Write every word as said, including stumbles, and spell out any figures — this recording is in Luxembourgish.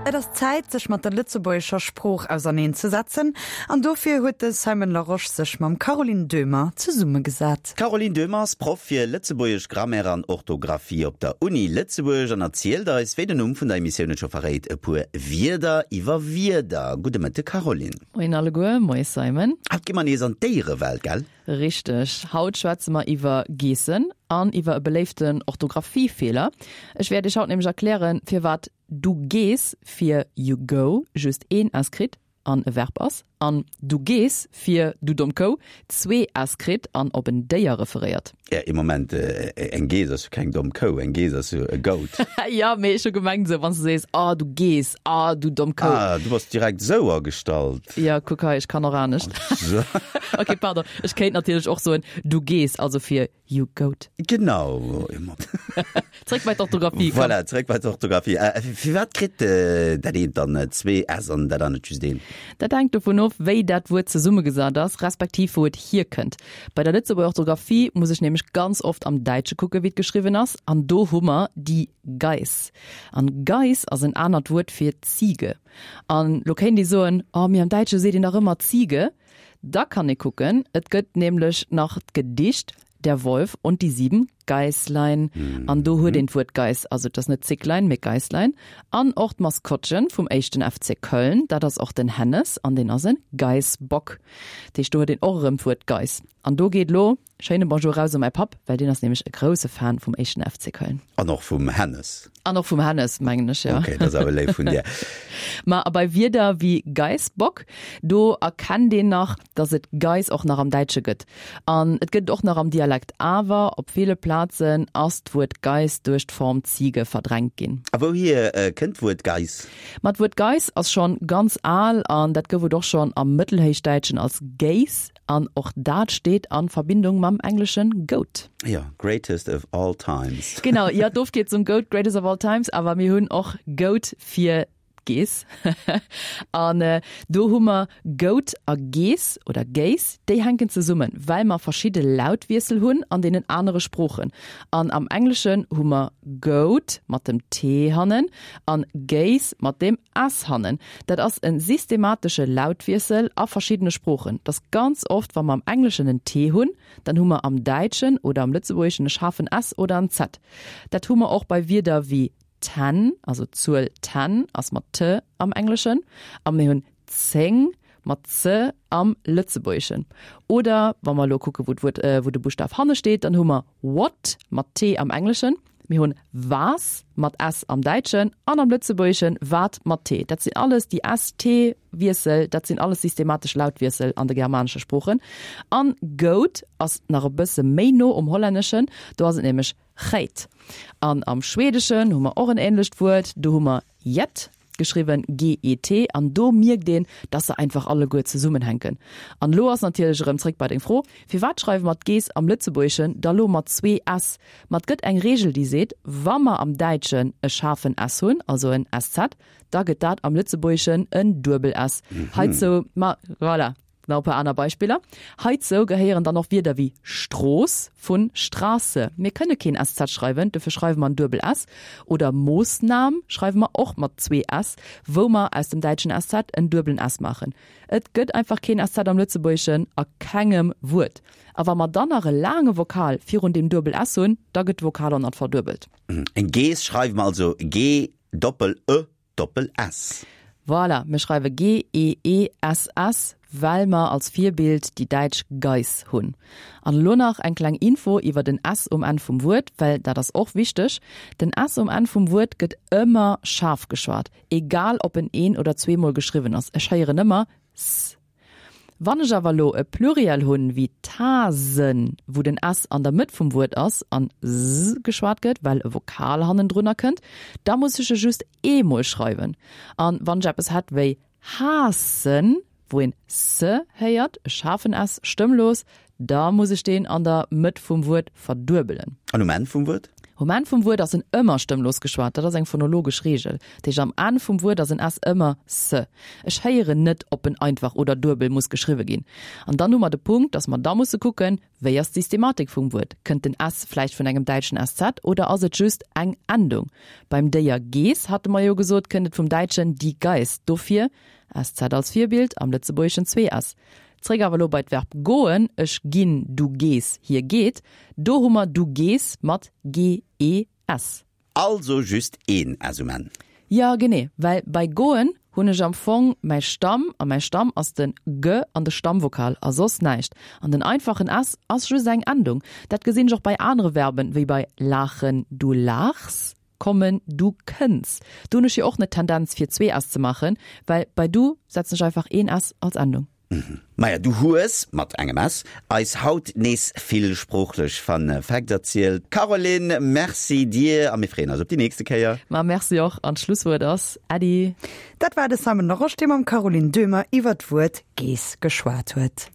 Et ass Zäit, sech mat der lëtzebuergescher Sprooch auserneen ze setzen, an dofir huet de Simon Larosche sech mam Caroline Döhmer zesummegesat. D'Caroline Döhmer ass Proff fir Lëtzebuergesch Grammaire an Orthografie op der Uni Lëtzebuerg an erzielt eis, wéi den Numm vun der Emissioun et scho verréit, e puer Wierder iwwer Wierder. Gudde Mëtte Caroline. Moien alleguer, moie Simon. Haut gi mer nees an d'Déierewelt, gell? Richteg, haut schwätze mer iwwer Geessen an iwwer e beléiften Orthographiefeeler. Ech wäert iech haut nämlech erklären, firwat du gees fir you go just een s kritt an e Verb ass, an du geess fir du domm Kou zwee s kritt an op en Déier referéiert. Ja, ee Moment, eng Geess ass jo keng domm Kou, eng Geess ass jo e Goat. Jo, mee ech hu gemengt esou, wann s du sees, ah du Geess, ah du domm Kou. Ah, du bass direkt esou agestallt. Jo, kuck hei, ech kann och anescht. Ok, pardon, ech kéint natierlech och soen, du geess, also fir You goat. Genau. Zréck bei d'Orthografie, komm. Voilà, zréck bei d'Orthografie. Firwat kritt dat eent dann zwee s an dat anert just een? Dat hänkt dovun of, wéi dat Wuert zesummegesat ass, respektiv wou et hierkënnt. Bei der Lëtzebuerger Orthografie muss ech nämlech ganz oft am Däitsche kucke wéi et geschriwwen ass, an do hu mer die Geiß. An Geiß ass en anert Wuert fir Ziege. An lo kéint ee soen, oh mee am Däitsche seet een dach ëmmer Ziege. Da kann ee kucken, et gëtt nämlech nach d'Gedicht Der Wolf und die sieben Geißlein. An do huet een d'Wuert Geiß, also et ass net Zicklein, mee Geißlein. An och d'Maskottchen vum éischten F C Köln, dat ass och den Hennes an deen ass e Geißbock. Dat heescht, do huet een och erëm d'Wuert Geiß. An do geet elo schéine Bonjour raus u mäi Papp, well deen ass nämlech e grousse Fan vum éischten F C Köln. An och vum Hennes. An och vum Hennes, mengen ech, jo. Ok, dat ass awer léif vun dir. Ma a bei Wierder wéi Geißbock, do erkennt een nach, dass et Geiß och nach am Däitsche gëtt. An et gëtt et och nach am Dialekt, awer op ville Plazen ass d'Wuert Geiß duerch d'Form Ziege verdrängt ginn. A wouhier kënnt d'Wuert Geiß? Ma d'Wuert Geiß ass schonn ganz al an dat gouf et och schonn am Mëttelhéichdäitschen als Géis an och dat steet a Verbindung mam engleschen goat. Jo, greatest of all times. Genau, jo, d'Ofkierzung goat, greatest of all times, awer mir hunn och Goat fir d'Geess. An do hu mer Goat a Geess oder Géiss, déi hänken zesummen, well mer verschidde Lautwiessel hunn an deenen anere Sproochen. An am Engleschen hu mer goat mat dem T hannen an gaze mat dem S hannen. Dat ass e systematesche Lautwiessel a verschiddene Sproochen. Dat ass ganz oft, wa mer am Engleschen en T hunn, dann hu mer am Däitschen oder am Lëtzebuergeschen e schaarfen S oder en Z. Dat hu mer och bei Wierder wéi ten, also d'Zuel ten ass mat T am Engleschen, a mir hunn zéng mat Z am Lëtzebuergeschen. Oder wa mer elo kucke wou d'Wuert, wou de Buschtaf hanne steet, dann hu mer what mat T am Engleschen, mir hunn was mat S am Däitschen an am Lëtzebuergeschen wat mat T. Dat sinn alles déi S-T-Wiessel, dat sinn alles systematesch Lautwiessel an de germanesche Sproochen. An goat ass nach e bësse méi no um Hollänneschen, do ass et nämlech Geit. An am Schweedeschen hu mer och en änlecht Wuert, do hu mer get, geschriwwen G E T, an do mierkt een, dass se einfach alleguer zesummenhänken. An elo ass natierlech erëm zréck bei deng Fro, Firwat schreiwe mer d'Geess am Lëtzebuergeschen da lo mat zwee S? Ma et gëtt eng Reegel, déi seet, wa mer am Däitschen e schaarfen S hunn, also en S Z, da gëtt dat am Lëtzebuergeschen en duebel S. Heizou, ma voilà. Nach e puer aner Beispiller. Heizou gehéieren dann och Wierder wéi Strooss vun Straße. Mir kënne keen S Z schreiwen, dofir schreiwe mer en duebel S. Oder Moossnam schreiwe mer och mat zwee S, wou mer aus dem däitschen S Z en duebelen S maachen. Et gëtt einfach keen S Z am Lëtzebuergeschen, a kengem Wuert. A wa mer dann nach e laange Vokal virun deem duebel S hunn, da gëtt de Vokal och nach verduebelt. Eng Geess schreiwe mer also G doppel E doppel S. Voilà, mir schreiwe G E E S S, well mer als Virbild déi däitsch Geiss hunn. An elo nach eng kleng Info iwwer den S um Enn vum Wuert, well dat ass och wichteg, Den S um Enn vum Wuert gëtt ëmmer schaarf geschwat, egal ob en een oder zweemol geschriwwen ass. Ech héieren ëmmer s. Wann ech awer elo e Pluriel hunn, wéi Tasen, wou den S an der Mëtt vum Wuert ass an s geschwat gëtt, well e Vokal hannendrunner kënnt, da muss ech e just eemol schreiwen. An wann ech eppes hätt wéi haassen, wou een s héiert, e schaarfen S, stëmmlos, da muss ech deen an der Mëtt vum Wuert verduebelen. An um Enn vum Wuert? Um Enn vum Wuert ass en ëmmer stëmmlos geschwat, dat ass eng phonologesch Reegel. Dat heescht, am Enn vum Wuert ass en s ëmmer s. Ech héieren net, ob en einfach oder duebel muss geschriwwe ginn. An dann hu mer de Punkt, dass mer da musse kucken, Wéi ass d'Systematik vum Wuert? Kënnt den s vläicht vun engem däitschen sz oder ass et just eng Endung? Beim Déier Geess hate mer jo gesot, kënnt et vum däitschen die Geiß, dofir sz als Virbild, am Lëtzebuergeschen zwee s. Zréck awer elo bei d'Verb goen, ech ginn, du gees, hie geet, do hu mer du gees mat g-e-s. Also just een s um Enn. Jo, genee, well bei goen hunn ech am Fong mäi Stamm, a mäi Stamm ass den g an de Stammvokal a soss näischt. An den einfachen s ass just eng Endung. Dat gesinn ech och bei anere Verben, wéi bei laachen, du laachs, kommen, du kënns. Do hunn ech jo och net d'Tendenz fir zwee s ze maachen, well bei du setzen ech einfach een s als Endung. Maja, du hues, mat engem s, eis haut nees vill sproochlech Fun Facts erzielt. Caroline, Merci dir a mir freeën eis op déi nächste Kéier. Ma Merci och an d'Schlusswuert ass Äddi. Dat war de Simon Larosche, dee mam Caroline Döhmer iwwer d'Wuert Geess geschwat huet.